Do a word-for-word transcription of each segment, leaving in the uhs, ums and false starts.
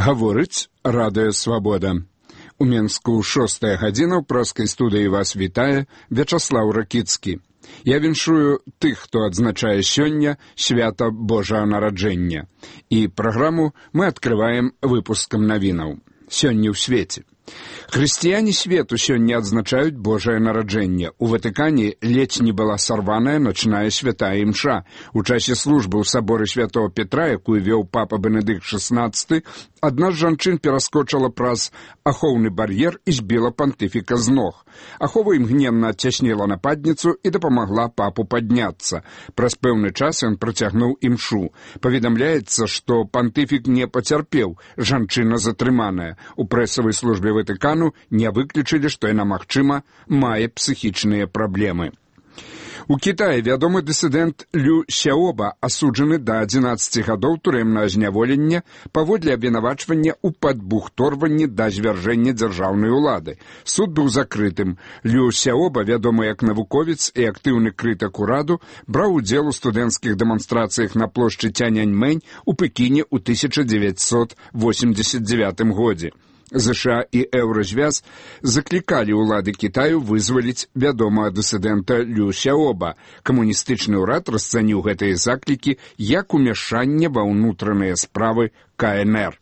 Гаворыць радыё «Свабода». У Менску шостая гадзіна ў праскай студыі вас вітае Вячаслаў Ракіцкі. Я віншую тых, хто адзначае сёння свята Божага нараджэння. І праграму мы адкрываем выпускам навінаў. Сёння ў свеце. Хрысціяне свету сёння адзначаюць Божае нараджэнне. У Ватыкане ледзь не была сарваная начная святая імша. У часе службы ў саборы святого Петра, якую вёў папа Бенедыкт шаснаццаты, адна з жанчын пераскочыла праз ахоўны бар'ер і збіла пантыфіка з ног. Ахова імгненна адцясніла нападніцу і дапамагла папу падняцца. Праз пэўны час ён працягнуў імшу. Паведамляецца, што пантыфік не пацярпеў, жанчына затрыманая. У прэсавай службе Ватыкану не выключылі, што яна, магчыма, мае псіхічныя праблемы. У Кітаі вядомы дысідэнт Лю Сяоба асуджаны да адзінаццаці гадоў турэмнага зняволення паводле абвінавачвання ў падбухторванні да звяржэння дзяржаўнай улады. Суд быў закрытым. Лю Сяоба, вядомы як навуковец і актыўны крытык ураду, браў удзел у студэнцкіх дэманстрацыях на плошчы Цяньаньмэнь у Пекіне ў тысяча дзевяцьсот восемьдесят девятым годзе. ЗША і Еўразвяз заклікалі ўлады Кітаю вызваліць вядомага дысідэнта Лю Сяоба. Камуністычны ўрад расцаніў гэтыя заклікі як умяшанне ва ўнутраныя справы ка эн эр.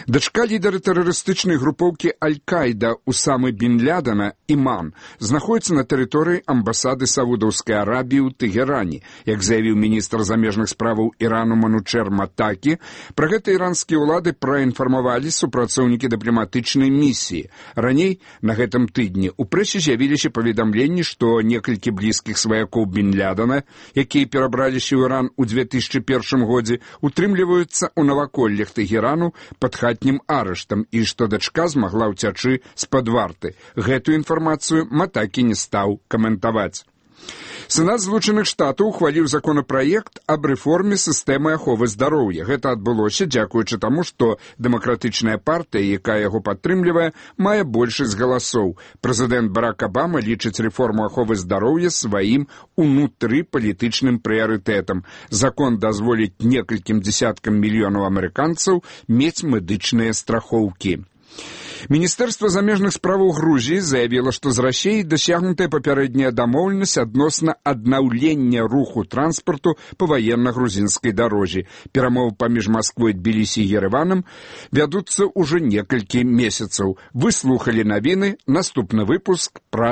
Дачка лідара тэрарыстычнай групоўкі Аль-Каіда Усамы бін Лядена, Іман, знаходіцца на тэрыторыі амбасады Саудаўскай Арабіі ў Тэгеране. Як заявіў міністр замежных справаў Ірану Манучэр Матакі, пра гэта іранскія ўлады праінфармавалі супрацоўнікі дыпламатычнай місіі. Раней, на гэтым тыдні, у прэсе з'явіліся паведамленні, што некалькі блізкіх сваякоў бін Лядена, якія перабраліся ў Іран у две тысячы першым годзе, утрымліваюцца ў наваколлях Тэгерану пад хатнім арыштам і што дачка змагла ўцячы з-пад варты. Гэтую інфармацыю Матакі не стаў каментаваць. Сенат Злучаных Штатаў ухваліў законапраект аб рэформе сістэмы аховы здароўя. Гэта адбылося дзякуючы таму, што дэмакратычная партыя, якая яго падтрымлівае, мае большасць галасоў. Прэзідэнт Барак Абама лічыць рэформу аховы здароўя сваім унутрыпалітычным прыярытэтам. Закон дазволіць некалькім дзесяткам мільёнаў амерыканцаў мець медычныя страхоўкі. Міністэрства замежных справаў Грузіі заявіла, што з Расіяй дасягнутая папярэдняя дамоўленасць адносна аднаўлення руху транспарту па ваенна-грузінскай дарозе. Перамовы паміж Масквой, Тбілісі і Ерэванам вядуцца ўжо некалькі месяцаў. Вы слухалі навіны, наступны выпуск пра